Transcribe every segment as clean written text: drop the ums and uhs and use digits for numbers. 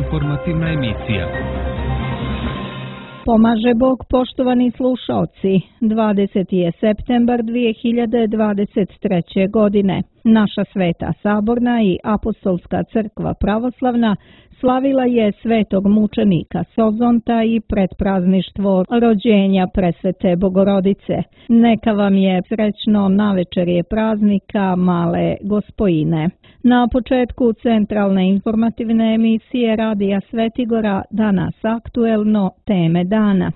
Informativna emisija. Pomaže Bog, poštovani slušaoci. 20. je septembar 2023. godine. Naša Sveta Saborna i Apostolska crkva pravoslavna slavila je svetog mučenika Sozonta i predprazništvo rođenja Presvete Bogorodice. Neka vam je srećno navečerje praznika Male Gospojine. Na početku centralne informativne emisije Radija Svetigora danas aktuelno teme dana.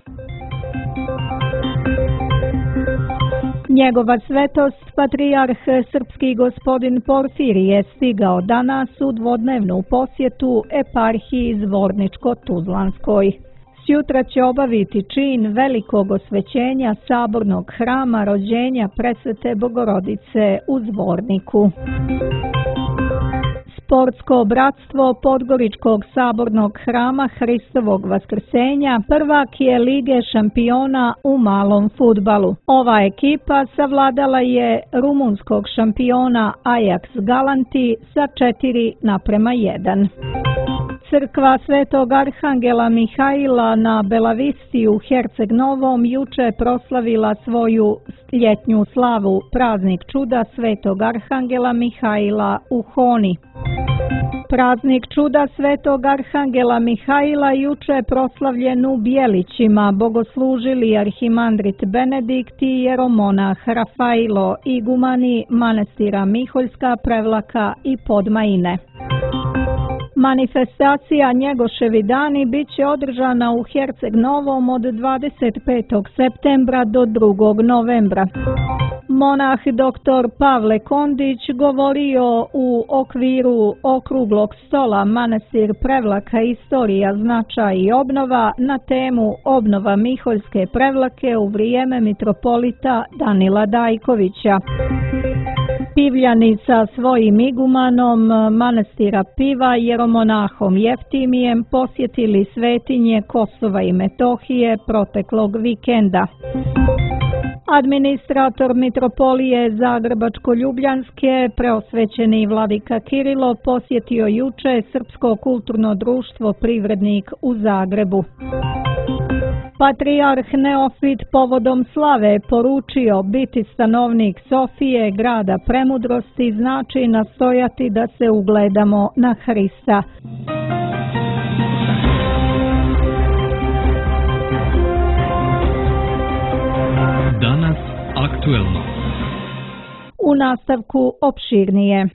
Njegova svetost, patrijarh srpski gospodin Porfirije, stigao danas u dvodnevnu posjetu eparhiji Zvorničko-Tuzlanskoj. Sjutra će obaviti čin velikog osvećenja sabornog hrama rođenja Presvete Bogorodice u Zvorniku. Sportsko bratstvo Podgoričkog sabornog hrama Hristovog vaskrsenja prvak je Lige šampiona u malom fudbalu. Ova ekipa savladala je rumunskog šampiona Ajax Galanti sa 4:1. Crkva Svetog Arhangela Mihaila na Belavisti u Herceg Novom juče proslavila svoju ljetnju slavu, praznik čuda Svetog Arhangela Mihaila u Honi. Praznik čuda Svetog Arhangela Mihaila juče proslavljen u Bjelićima, bogoslužili arhimandrit Benedikt i jeromonah Rafailo, igumani manastira Miholjska, Prevlaka i Podmajine. Manifestacija Njegoševi dani bit će održana u Herceg Novom od 25. septembra do 2. novembra. Monah dr. Pavle Kondić govorio u okviru okruglog stola Manastir Prevlaka, istorija, značaj i obnova na temu obnova Miholjske Prevlake u vrijeme mitropolita Danila Dajkovića. Pivljani sa svojim igumanom manastira Piva jeromonahom Jeftimijem posjetili svetinje Kosova i Metohije proteklog vikenda. Administrator mitropolije Zagrebačko-Ljubljanske, preosvećeni vladika Kirilo, posjetio juče Srpsko kulturno društvo Privrednik u Zagrebu. Patrijarh Neofit povodom slave poručio: biti stanovnik Sofije, grada premudrosti, znači nastojati da se ugledamo na Hrista. Danas aktuelno. U nastavku opširnije.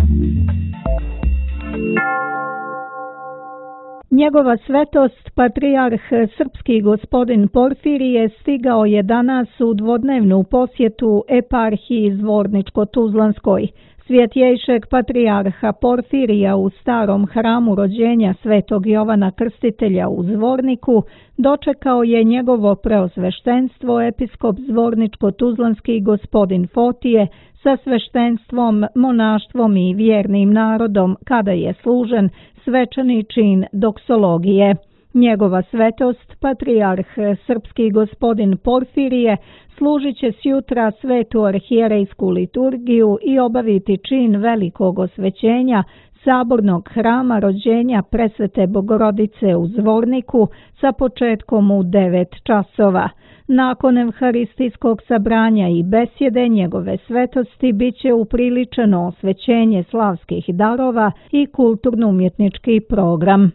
Njegova svetost, patrijarh srpski gospodin Porfirije, stigao je danas u dvodnevnu posjetu eparhiji Zvorničko-Tuzlanskoj. Svjetjejšeg patrijarha Porfirija u starom hramu rođenja Svetog Jovana Krstitelja u Zvorniku dočekao je njegovo preosveštenstvo episkop Zvorničko-Tuzlanski gospodin Fotije sa sveštenstvom, monaštvom i vjernim narodom kada je služen svečani čin doksologije. Njegova svetost, patrijarh srpski gospodin Porfirije, služit će sjutra svetu arhijerejsku liturgiju i obaviti čin velikog osvećenja sabornog hrama rođenja Presvete Bogorodice u Zvorniku sa početkom u 9 časova. Nakon evharistijskog sabranja i besjede njegove svetosti bit će upriličeno osvećenje slavskih darova i kulturno-umjetnički program.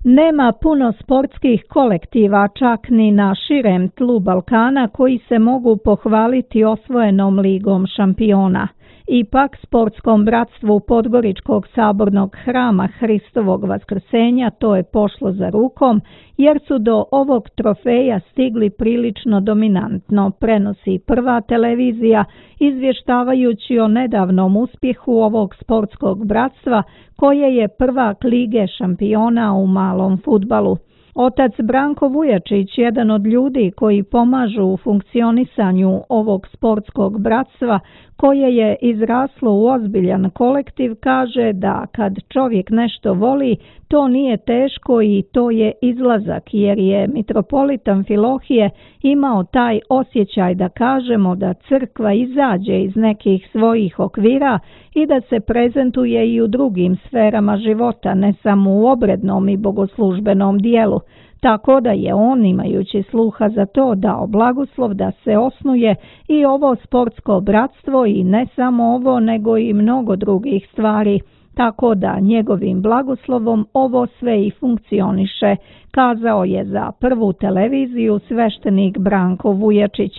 Nema puno sportskih kolektiva čak ni na širem tlu Balkana koji se mogu pohvaliti osvojenom Ligom šampiona. Ipak sportskom bratstvu Podgoričkog sabornog hrama Hristovog vaskrsenja to je pošlo za rukom, jer su do ovog trofeja stigli prilično dominantno, prenosi Prva televizija, izvještavajući o nedavnom uspjehu ovog sportskog bratstva koje je prvak Lige šampiona u malom fudbalu. Otac Branko Vujačić, jedan od ljudi koji pomažu u funkcionisanju ovog sportskog bratstva koje je izraslo u ozbiljan kolektiv, kaže da kad čovjek nešto voli, To nije teško i to je izlazak, jer je mitropolit Amfilohije imao taj osjećaj da kažemo da crkva izađe iz nekih svojih okvira i da se prezentuje i u drugim sferama života, ne samo u obrednom i bogoslužbenom dijelu. Tako da je on, imajući sluha za to, dao blagoslov da se osnuje i ovo sportsko bratstvo i ne samo ovo, nego i mnogo drugih stvari. Tako da njegovim blagoslovom ovo sve i funkcioniše, kazao je za Prvu televiziju sveštenik Branko Vujačić.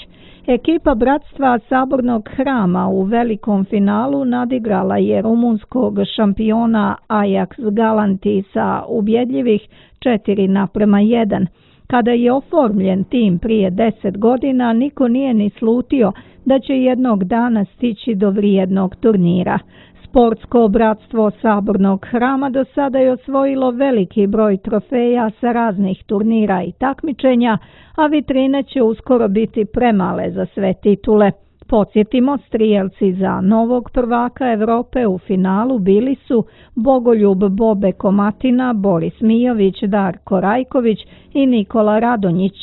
Ekipa bratstva Sabornog hrama u velikom finalu nadigrala je rumunskog šampiona Ajax Galanti sa ubjedljivih 4:1. Kada je oformljen tim prije 10 godina, niko nije ni slutio da će jednog dana stići do vrijednog turnira. Sportsko bratstvo Sabornog hrama do sada je osvojilo veliki broj trofeja sa raznih turnira i takmičenja, a vitrine će uskoro biti premale za sve titule. Podsjetimo, strijelci za novog prvaka Evrope u finalu bili su Bogoljub Bobe Komatina, Boris Mijović, Darko Rajković i Nikola Radonjić.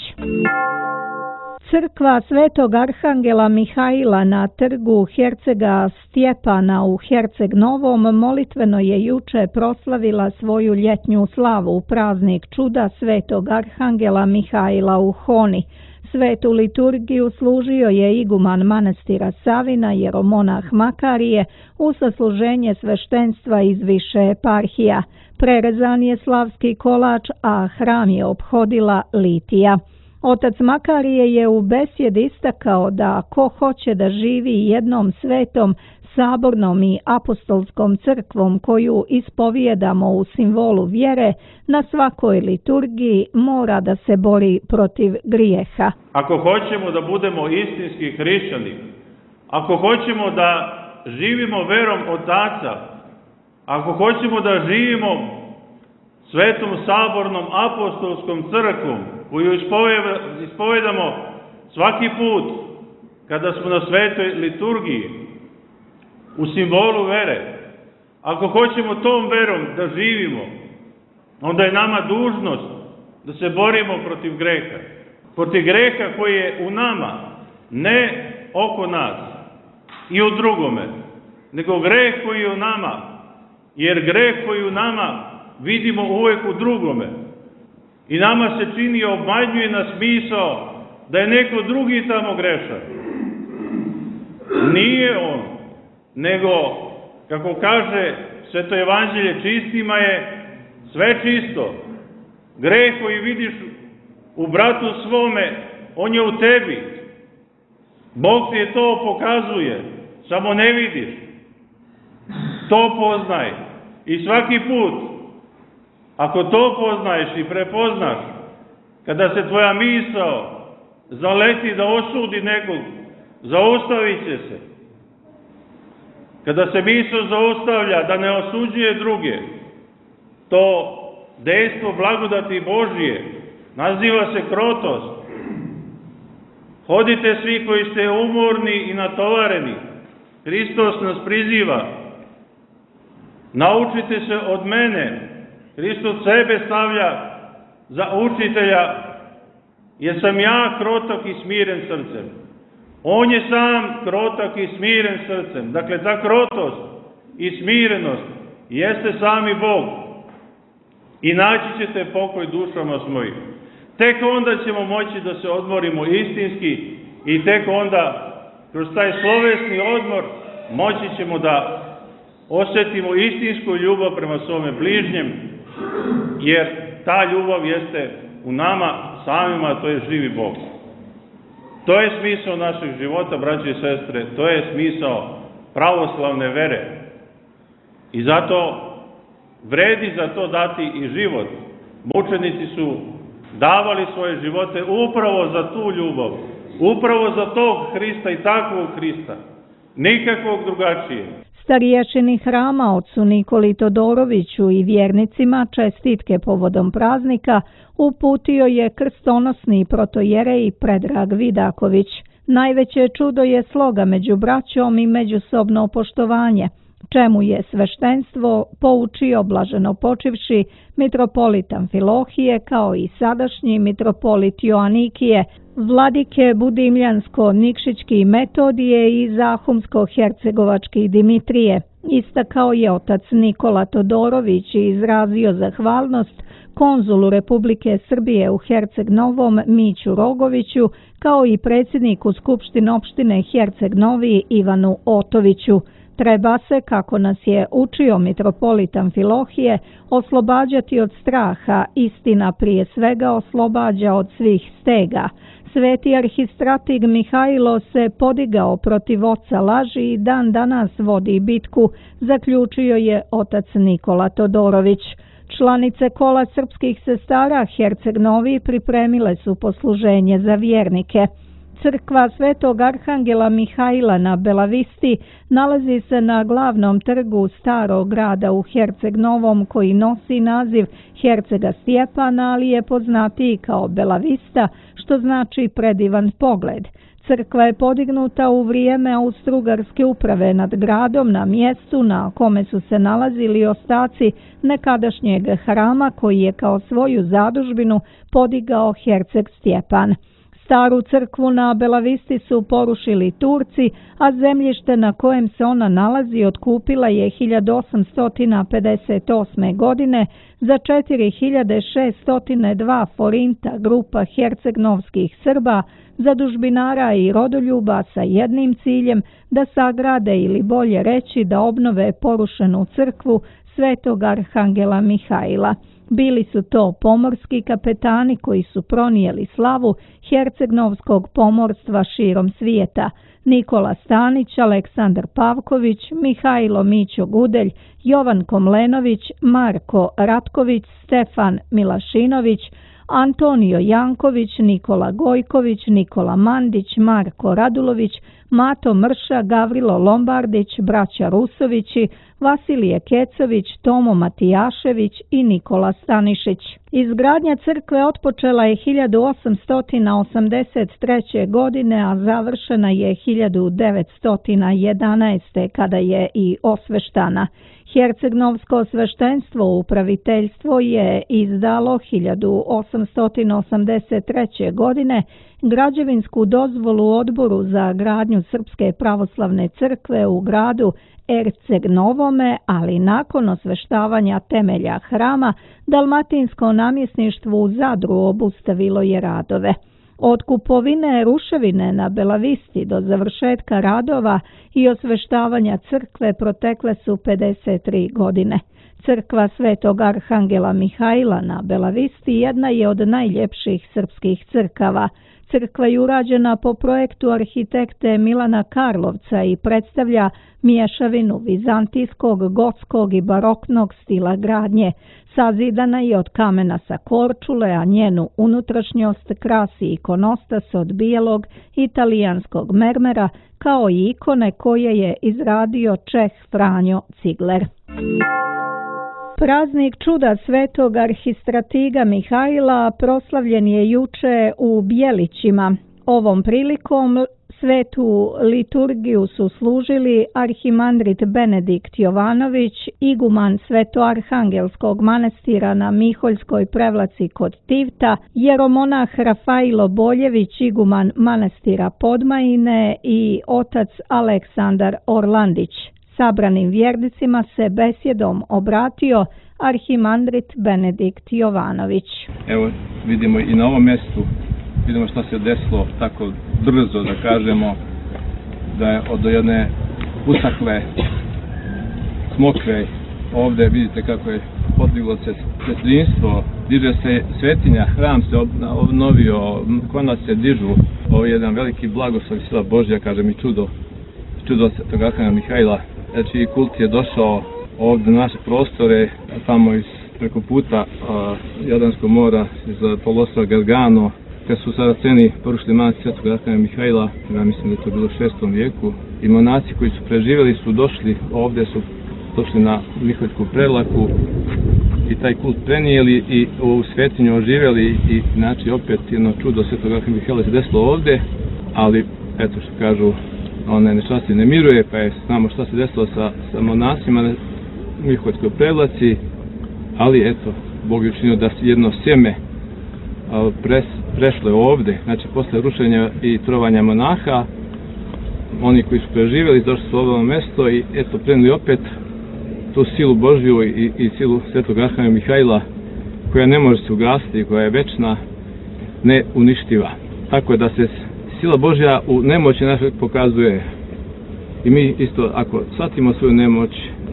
Crkva Svetog Arhangela Mihaila na trgu Hercega Stjepana u Herceg Novom molitveno je juče proslavila svoju ljetnju slavu u praznik čuda Svetog Arhangela Mihaila u Honi. Svetu liturgiju služio je iguman manastira Savina, jeromonah Makarije, u sasluženje sveštenstva iz više eparhija. Prerezan je slavski kolač, a hram je ophodila litija. Otac Makarije je u besjedi istakao da ko hoće da živi jednom svetom, sabornom i apostolskom crkvom koju ispovijedamo u simbolu vjere, na svakoj liturgiji mora da se bori protiv grijeha. Ako hoćemo da budemo istinski hrišćani, ako hoćemo da živimo verom Otaca, ako hoćemo da živimo svetom sabornom apostolskom crkvom koju ispovedamo svaki put kada smo na svetoj liturgiji u simbolu vere, ako hoćemo tom verom da živimo, onda je nama dužnost da se borimo protiv greha. Protiv greha koji je u nama, ne oko nas i u drugome, nego greh koji je u nama, jer greh koji je u nama vidimo uvijek u drugome. I nama se čini, obmanjuje nas misao da je neko drugi tamo grešan. Nije on, nego, kako kaže Sveto evanđelje, čistima je sve čisto. Greh koji vidiš u bratu svome, on je u tebi. Bog ti je to pokazuje, samo ne vidiš. To poznaj. I svaki put, ako to poznaješ i prepoznaš, kada se tvoja misao zaleti da osudi nekog, zaustavit će se. Kada se misao zaustavlja da ne osuđuje druge, to dejstvo blagodati Božije naziva se krotost. Hodite svi koji ste umorni i natovareni, Hristos nas priziva. Naučite se od mene, Hristos sebe stavlja za učitelja, jer sam ja krotak i smiren srcem. On je sam krotak i smiren srcem. Dakle, ta krotost i smirenost jeste sami Bog. I naći ćete pokoj dušama svojim. Tek onda ćemo moći da se odmorimo istinski i tek onda, kroz taj slovesni odmor, moći ćemo da osjetimo istinsku ljubav prema svome bližnjem, jer ta ljubav jeste u nama samima, to je živi Bog. To je smisao našeg života, braće i sestre, to je smisao pravoslavne vere. I zato vredi za to dati i život. Mučenici su davali svoje živote upravo za tu ljubav, upravo za tog Hrista i takvog Hrista, nikakvog drugačije. Stariješini hrama ocu Nikoli Todoroviću i vjernicima čestitke povodom praznika uputio je krstonosni protojerej Predrag Vidaković. Najveće čudo je sloga među braćom i međusobno poštovanje. čemu je sveštenstvo poučio blaženopočivši mitropolit Amfilohije kao i sadašnji mitropolit Joanikije, vladike Budimljansko-Nikšićki Metodije i Zahumsko-Hercegovački Dimitrije. Istakao je otac Nikola Todorović i izrazio zahvalnost konzulu Republike Srbije u Herceg Novom Miću Rogoviću kao i predsjedniku Skupštine opštine Herceg Novi Ivanu Otoviću. Treba se, kako nas je učio mitropolit Amfilohije, oslobađati od straha, istina prije svega oslobađa od svih stega. Sveti arhistratig Mihajlo se podigao protiv oca laži i dan danas vodi bitku, zaključio je otac Nikola Todorović. Članice kola srpskih sestara Herceg Novi pripremile su posluženje za vjernike. Crkva Svetog Arhangela Mihajla na Belavisti nalazi se na glavnom trgu starog grada u Herceg Novom koji nosi naziv Hercega Stjepana, ali je poznatiji kao Belavista, što znači predivan pogled. Crkva je podignuta u vrijeme Austrougarske uprave nad gradom na mjestu na kome su se nalazili ostaci nekadašnjeg hrama koji je kao svoju zadužbinu podigao Herceg Stjepan. Staru crkvu na Belavisti su porušili Turci, a zemljište na kojem se ona nalazi otkupila je 1858. godine za 4602 forinta grupa hercegnovskih Srba, zadužbinara i rodoljuba sa jednim ciljem da sagrade ili bolje reći da obnove porušenu crkvu Svetog Arhangela Mihajla. Bili su to pomorski kapetani koji su pronijeli slavu hercegnovskog pomorstva širom svijeta: Nikola Stanić, Aleksandar Pavković, Mihajlo Mićo Gudelj, Jovan Komlenović, Marko Ratković, Stefan Milašinović, Antonio Janković, Nikola Gojković, Nikola Mandić, Marko Radulović, Mato Mrša, Gavrilo Lombardić, braća Rusovići, Vasilije Kecović, Tomo Matijašević i Nikola Stanišić. Izgradnja crkve otpočela je 1883. godine, a završena je 1911. kada je i osveštana. Hercegnovsko sveštenstvo upraviteljstvo je izdalo 1883. godine građevinsku dozvolu Odboru za gradnju Srpske pravoslavne crkve u gradu Herceg Novome, ali nakon osveštavanja temelja hrama Dalmatinsko namjesništvo u Zadru obustavilo je radove. Od kupovine ruševine na Belavisti do završetka radova i osveštavanja crkve protekle su 53 godine. Crkva Svetog Arhangela Mihajla na Belavisti jedna je od najljepših srpskih crkava. Crkva je urađena po projektu arhitekte Milana Karlovca i predstavlja mješavinu vizantijskog, gotskog i baroknog stila gradnje. Sazidana je od kamena sa Korčule, a njenu unutrašnjost krasi ikonostas od bijelog italijanskog mermera, kao i ikone koje je izradio Čeh Franjo Cigler. Praznik čuda Svetog arhistratiga Mihajla proslavljen je juče u Bjelićima. Ovom prilikom svetu liturgiju su služili arhimandrit Benedikt Jovanović, iguman Svetoarhangelskog manastira na Miholjskoj Prevlaci kod Tivta, jeromonah Rafailo Boljević, iguman manastira Podmajine i otac Aleksandar Orlandić. Sabranim vjernicima se besjedom obratio arhimandrit Benedikt Jovanović. Evo vidimo i na ovom mjestu, vidimo što se desilo tako brzo, da kažemo, da je od jedne usakle smokve ovdje vidite kako je podiglo se sestrinstvo, diže se svetinja, hram se obnovio, konac se dižu, ovo je jedan veliki blagoslov sila Božja, kažem, i čudo Svetog Arhangela Mihajla. Znači kult je došao ovdje na naše prostore, tamo preko puta Jadranskog mora, iz poluostrva Gargano, kad su Saraceni porušili manastir Svetog Arhangela Mihajla, ja mislim da je to bilo u 6. vijeku, i monaci koji su preživjeli su došli ovdje, su došli na Miholjsku Prevlaku i taj kult prenijeli i u svetinju oživjeli i znači opet jedno čudo Svetog Arhangela Mihajla se desilo ovdje, ali eto što kažu, nečasti ne miruje, pa je znamo šta se desilo sa monasima na Miholjskoj Prevlaci, ali eto, Bog je učinio da jedno sjeme prešlo ovde, znači posle rušenja i trovanja monaha, oni koji su preživjeli došli su u ovo mesto i eto prenuli opet tu silu Božju i silu Svetog Arhangela Mihajla, koja ne može se ugasiti, koja je večna, neuništiva. Tako da se sila Božja u nemoći našoj pokazuje. I mi isto, ako shvatimo svoju nemoć,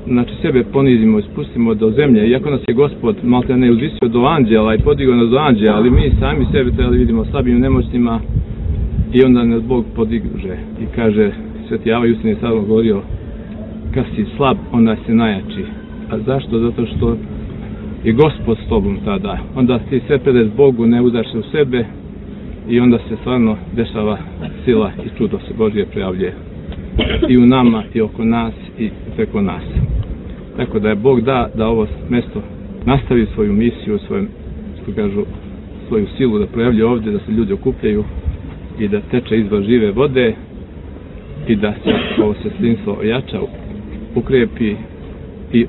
znači sebe ponizimo i spustimo do zemlje, iako nas je Gospod malte ne uzvisio do anđela i podigao nas do anđela, ali mi sami sebe trebali vidimo slabim nemoćnima i onda nas Bog podiže i kaže, Sveti Java Justin je sada govorio, kad si slab, onda si najjači. A zašto? Zato što je Gospod s tobom tada. Onda ti sve predaš Bogu, ne udaš se u sebe i onda se stvarno dešava sila i čudo se Božje prijavljuje i u nama i oko nas i preko nas. Tako da je Bog da ovo mesto nastavi svoju misiju, svoju silu da projavljuje ovdje, da se ljudi okupljaju i da teče izvor žive vode i da se ovo sestrinstvo ojača, ukrepi i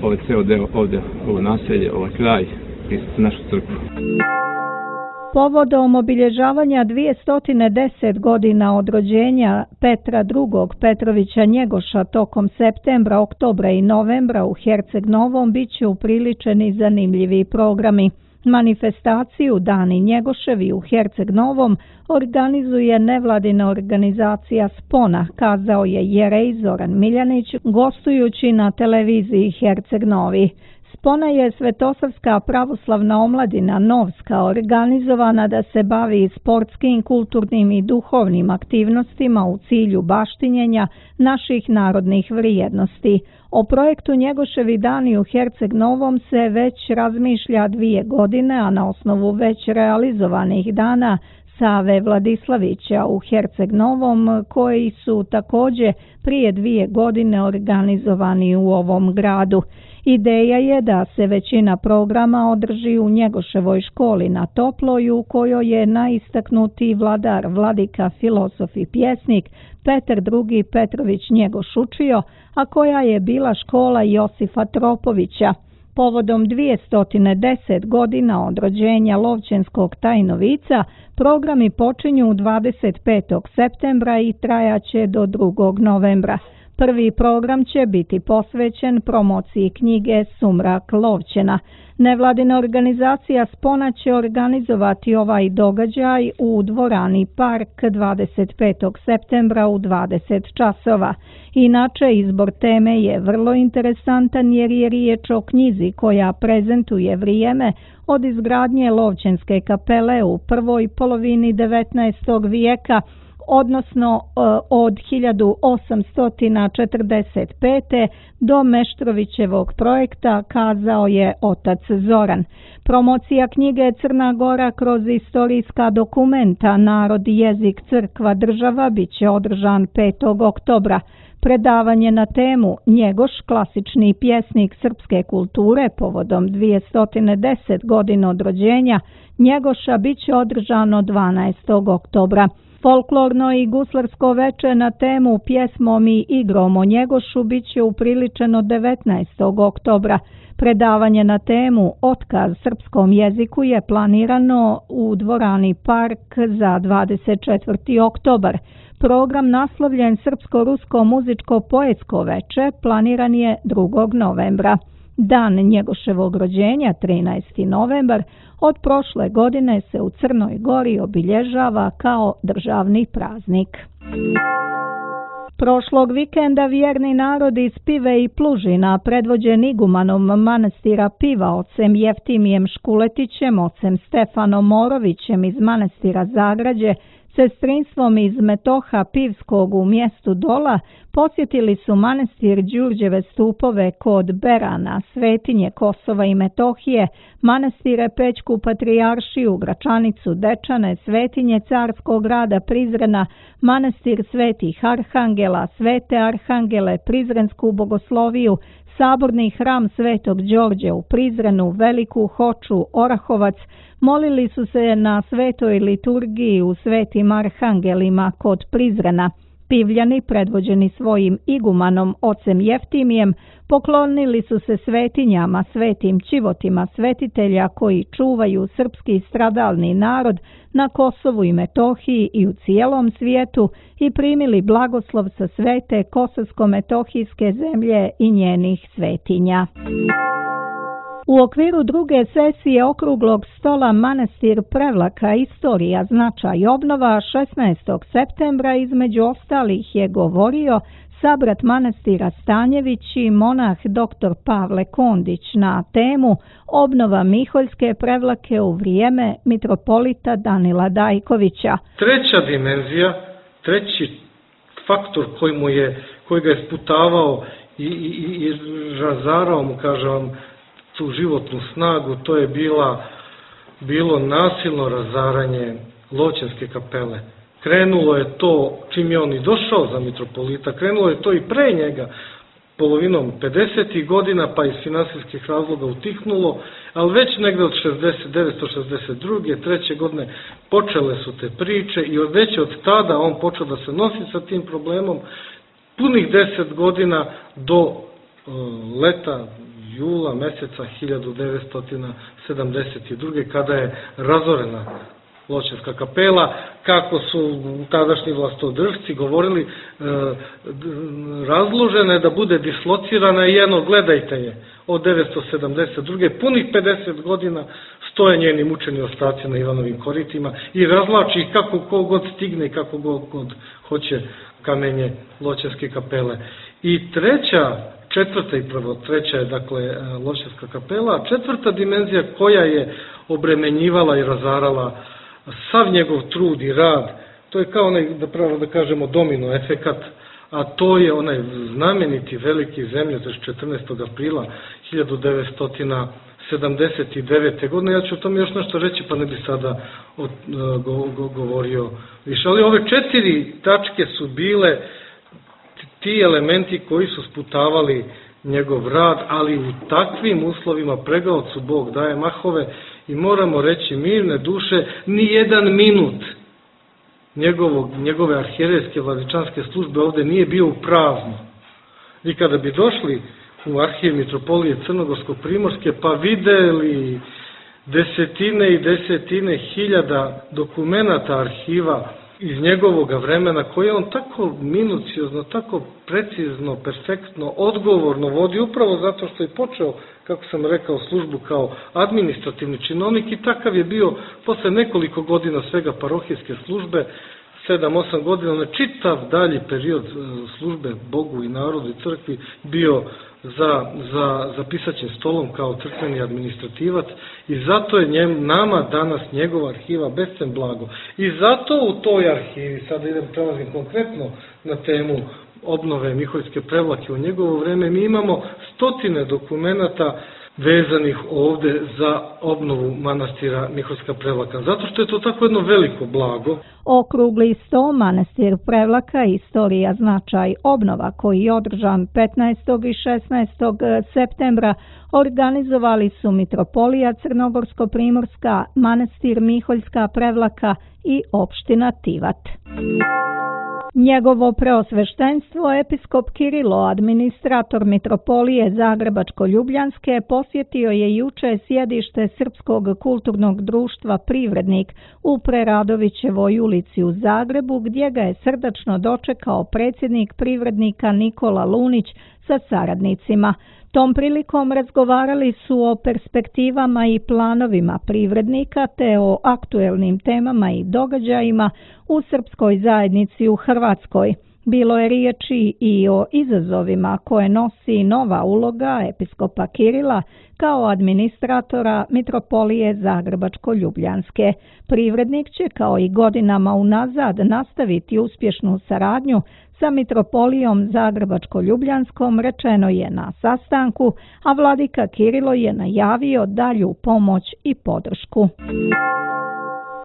ovaj ceo deo ovdje, ovo naselje, ovaj kraj i našu crkvu. Povodom obilježavanja 210 godina od rođenja Petra II. Petrovića Njegoša tokom septembra, oktobra i novembra u Herceg Novom biće upriličeni zanimljivi programi. Manifestaciju Dani Njegoševi u Herceg Novom organizuje nevladina organizacija Spona, kazao je jerej Zoran Miljanić, gostujući na televiziji Herceg Novi. Spona je Svetosavska pravoslavna omladina Novska, organizovana da se bavi sportskim, kulturnim i duhovnim aktivnostima u cilju baštinjenja naših narodnih vrijednosti. O projektu Njegoševi dani u Herceg Novom se već razmišlja 2 godine, a na osnovu već realizovanih dana Save Vladislavića u Herceg Novom, koji su također prije 2 godine organizovani u ovom gradu. Ideja je da se većina programa održi u Njegoševoj školi na Toploj, u kojoj je najistaknutiji vladar, vladika, filozof i pjesnik Petar II. Petrović Njegoš učio, a koja je bila škola Josifa Tropovića. Povodom 210 godina od rođenja Lovćenskog tajnovica, programi počinju 25. septembra i trajaće do 2. novembra. Prvi program će biti posvećen promociji knjige Sumrak Lovćena. Nevladina organizacija Spona će organizovati ovaj događaj u dvorani Park 25. septembra u 20 časova. Inače, izbor teme je vrlo interesantan jer je riječ o knjizi koja prezentuje vrijeme od izgradnje Lovćenske kapele u prvoj polovini 19. vijeka, odnosno od 1845. do Meštrovićevog projekta, kazao je otac Zoran. Promocija knjige Crna Gora kroz istorijska dokumenta Narod, jezik, crkva, država biće održan 5. oktobra. Predavanje na temu Njegoš, klasični pjesnik srpske kulture, povodom 210 godina od rođenja Njegoša biće održano 12. oktobra. Folklorno i guslarsko veče na temu Pjesmom i igrom o Njegošu biće upriličeno 19. oktobra. Predavanje na temu Otkaz srpskom jeziku je planirano u dvorani Park za 24. oktobar. Program naslovljen Srpsko-rusko muzičko-poetsko veče planiran je 2. novembra. Dan Njegoševog rođenja, 13. novembar, od prošle godine se u Crnoj Gori obilježava kao državni praznik. Prošlog vikenda vjerni narod iz Pive i Plužina, predvođen igumanom manastira Piva, ocem Jeftimijem Škuletićem, ocem Stefanom Morovićem iz manastira Zagrađe, sestrinstvom iz Metoha Pivskog u mjestu Dola, posjetili su manastir Đurđeve Stupove kod Berana, svetinje Kosova i Metohije, manastire Pećku Patrijaršiju, Gračanicu Dečane, svetinje Carskog grada Prizrena, manastir Svetih Arhangela, Svete Arhangele, Prizrensku bogosloviju, Saborni hram Svetog Đorđe u Prizrenu, Veliku Hoču, Orahovac, molili su se na svetoj liturgiji u Svetim Arhangelima kod Prizrena. Pivljani, predvođeni svojim igumanom ocem Jeftimijem, poklonili su se svetinjama, svetim čivotima svetitelja koji čuvaju srpski stradalni narod na Kosovu i Metohiji i u cijelom svijetu i primili blagoslov sa svete Kosovsko-metohijske zemlje i njenih svetinja. U okviru druge sesije okruglog stola Manastir Prevlaka istorija, značaj i obnova 16. septembra između ostalih je govorio sabrat manastira Stanjević i monah dr. Pavle Kondić na temu obnova Miholjske Prevlake u vrijeme mitropolita Danila Dajkovića. Treća dimenzija, treći faktor koji ga je sputavao i razarao mu, kažem, tu životnu snagu, to je bilo nasilno razaranje Loćenske kapele. Krenulo je to čim je on i došao za mitropolita, krenulo je to i pre njega, polovinom 50. godina, pa iz finansijskih razloga utihnulo, ali već negde od 1962. 3. godine počele su te priče i već od tada on počeo da se nosi sa tim problemom, punih 10 godina do leta, jula meseca 1972. kada je razorena Loćenska kapela, kako su tadašnji vlastodržci govorili, razložena je da bude dislocirana i gledajte je, od 1972. punih 50 godina stoje njeni mučeni ostaci na Ivanovim koritima i razlači ih kako kogod stigne i kako god hoće kamenje Loćenske kapele. I treća je dakle Loćenska kapela, a četvrta dimenzija koja je obremenjivala i razarala sav njegov trud i rad, to je kao onaj, da kažemo, domino efekat, a to je onaj znameniti veliki zemljotres 14. aprila 1979. godine. Ja ću o tome još nešto reći, pa ne bi sada govorio više. Ali ove 4 tačke su bile ti elementi koji su sputavali njegov rad, ali u takvim uslovima pregaocu Bog daje mahove i moramo reći mirne duše, ni jedan minut njegove arhijerejske vladičanske službe ovde nije bio u prazno. I kada bi došli u arhiv mitropolije Crnogorsko-Primorske pa videli desetine i desetine hiljada dokumenata arhiva iz njegovog vremena, koje on tako minuciozno, tako precizno, perfektno, odgovorno vodi, upravo zato što je počeo, kako sam rekao, službu kao administrativni činovnik i takav je bio posle nekoliko godina svega parohijske službe, 7-8 godina, na čitav dalji period službe Bogu i narodu i crkvi bio za pisaćim stolom kao crkveni administrativac i zato je nama danas njegova arhiva bescen blago. I zato u toj arhivi, sada prelazim konkretno na temu obnove Miholjske Prevlake u njegovo vreme, mi imamo stotine dokumenata vezanih ovde za obnovu manastira Miholjska Prevlaka, zato što je to tako jedno veliko blago. Okrugli sto Manastir Prevlaka, istorija, značaj, obnova, koji je održan 15. i 16. septembra, organizovali su mitropolija Crnogorsko-Primorska, Manastir Miholjska Prevlaka i opština Tivat. Njegovo preosveštenstvo episkop Kirilo, administrator mitropolije Zagrebačko-Ljubljanske, posjetio je juče sjedište Srpskog kulturnog društva Privrednik u Preradovićevoj ulici u Zagrebu, gdje ga je srdačno dočekao predsjednik Privrednika Nikola Lunić sa saradnicima. Tom prilikom razgovarali su o perspektivama i planovima Privrednika te o aktuelnim temama i događajima u srpskoj zajednici u Hrvatskoj. Bilo je riječi i o izazovima koje nosi nova uloga episkopa Kirila kao administratora mitropolije Zagrebačko-Ljubljanske. Privrednik će kao i godinama unazad nastaviti uspješnu saradnju sa mitropolijom Zagrebačko-Ljubljanskom, rečeno je na sastanku, a vladika Kirilo je najavio dalju pomoć i podršku.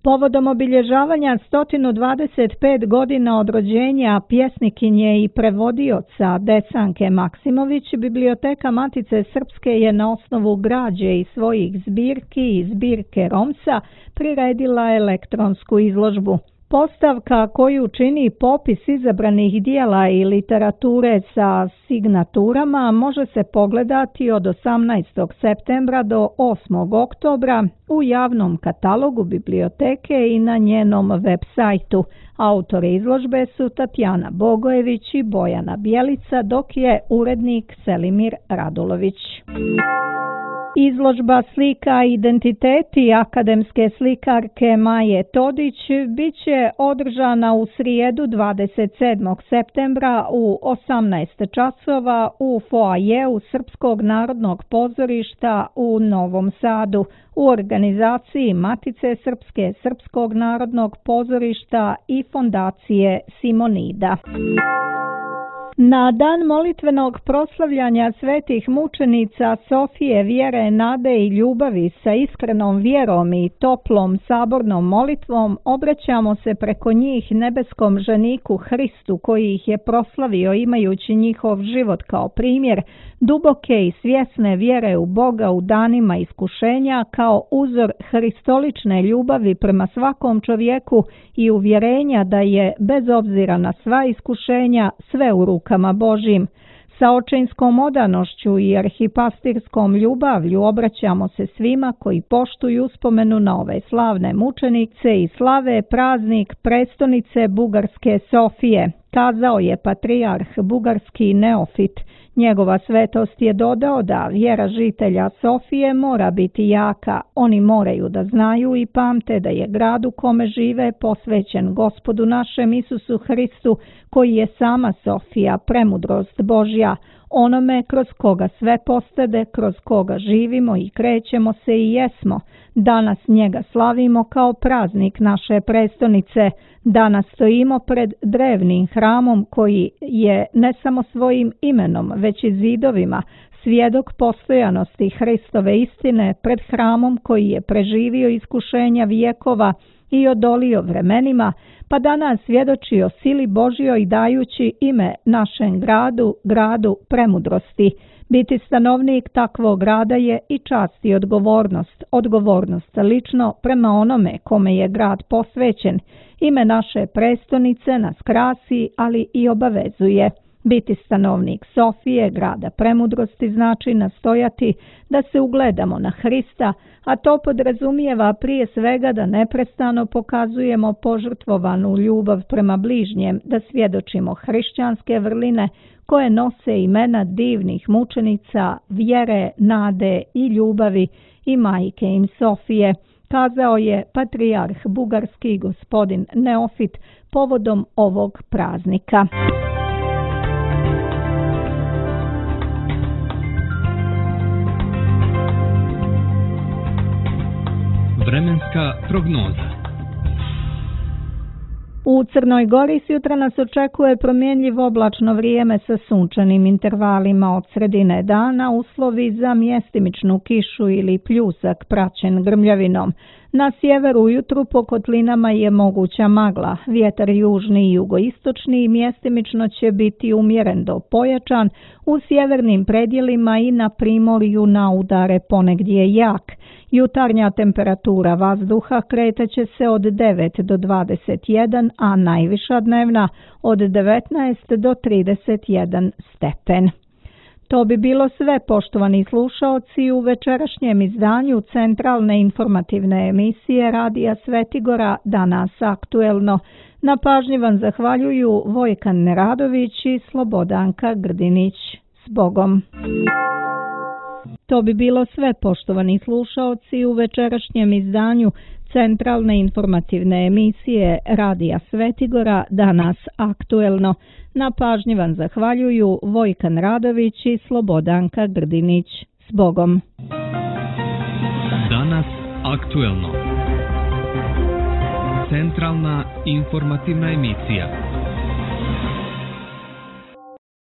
Povodom obilježavanja 125 godina od rođenja pjesnikinje i prevodioca Desanke Maksimović, Biblioteka Matice Srpske je na osnovu građe i svojih zbirki i zbirke Romsa priredila elektronsku izložbu. Postavka koju čini popis izabranih dijela i literature sa signaturama može se pogledati od 18. septembra do 8. oktobra u javnom katalogu biblioteke i na njenom web sajtu. Autori izložbe su Tatjana Bogojević i Bojana Bjelica, dok je urednik Selimir Radulović. Izložba slika Identiteti akademske slikarke Maje Todić biće održana u srijedu 27. septembra u 18 časova u foajeu Srpskog narodnog pozorišta u Novom Sadu u organizaciji Matice Srpske, Srpskog narodnog pozorišta i Fondacije Simonida. Na dan molitvenog proslavljanja svetih mučenica Sofije, vjere, nade i ljubavi sa iskrenom vjerom i toplom sabornom molitvom obraćamo se preko njih nebeskom ženiku Hristu koji ih je proslavio imajući njihov život kao primjer duboke i svjesne vjere u Boga u danima iskušenja kao uzor hristolične ljubavi prema svakom čovjeku i uvjerenja da je bez obzira na sva iskušenja sve u rukama Božjim. Sa očinskom odanošću i arhipastirskom ljubavlju obraćamo se svima koji poštuju uspomenu na ove slavne mučenice i slave praznik prestonice Bugarske Sofije, kazao je patrijarh bugarski Neofit. Njegova svetost je dodao da vjera žitelja Sofije mora biti jaka. Oni moraju da znaju i pamte da je grad u kome žive posvećen Gospodu našem Isusu Hristu, koji je sama Sofija, premudrost Božja, onome kroz koga sve postade, kroz koga živimo i krećemo se i jesmo. Danas njega slavimo kao praznik naše prestonice. Danas stojimo pred drevnim hramom koji je ne samo svojim imenom, već i zidovima svjedok postojanosti Hristove istine, pred hramom koji je preživio iskušenja vijekova i odolio vremenima, pa danas svjedoči o sili Božjoj dajući ime našem gradu, gradu premudrosti. Biti stanovnik takvog grada je i čast i odgovornost. Odgovornost lično prema onome kome je grad posvećen. Ime naše prestonice nas krasi, ali i obavezuje. Biti stanovnik Sofije, grada premudrosti, znači nastojati da se ugledamo na Hrista, a to podrazumijeva prije svega da neprestano pokazujemo požrtvovanu ljubav prema bližnjem, da svjedočimo hrišćanske vrline koje nose imena divnih mučenica, vjere, nade i ljubavi i majke im Sofije, kazao je patrijarh bugarski gospodin Neofit povodom ovog praznika. Vremenska prognoza. U Crnoj Gori sutra nas očekuje promjenjivo oblačno vrijeme sa sunčanim intervalima od sredine dana, uslovi za mjestimičnu kišu ili pljusak praćen grmljavinom. Na sjeveru ujutru po kotlinama je moguća magla, vjetar južni i jugoistočni mjestimično će biti umjeren do pojačan, u sjevernim predjelima i na primorju na udare ponegdje jak. Jutarnja temperatura vazduha kretaće se od 9 do 21, a najviša dnevna od 19 do 31 stepen. To bi bilo sve, poštovani slušaoci, u večerašnjem izdanju centralne informativne emisije Radija Svetigora Danas aktuelno. Na pažnji vam zahvaljuju Vojkan Neradović i Slobodanka Grdinić. S Bogom! To bi bilo sve, poštovani slušaoci, u večerašnjem izdanju centralne informativne emisije Radija Svetigora Danas aktuelno. Na pažnji vam zahvaljuju Vojkan Radović i Slobodanka Grdinić. S Bogom! Danas aktuelno. Centralna informativna emisija.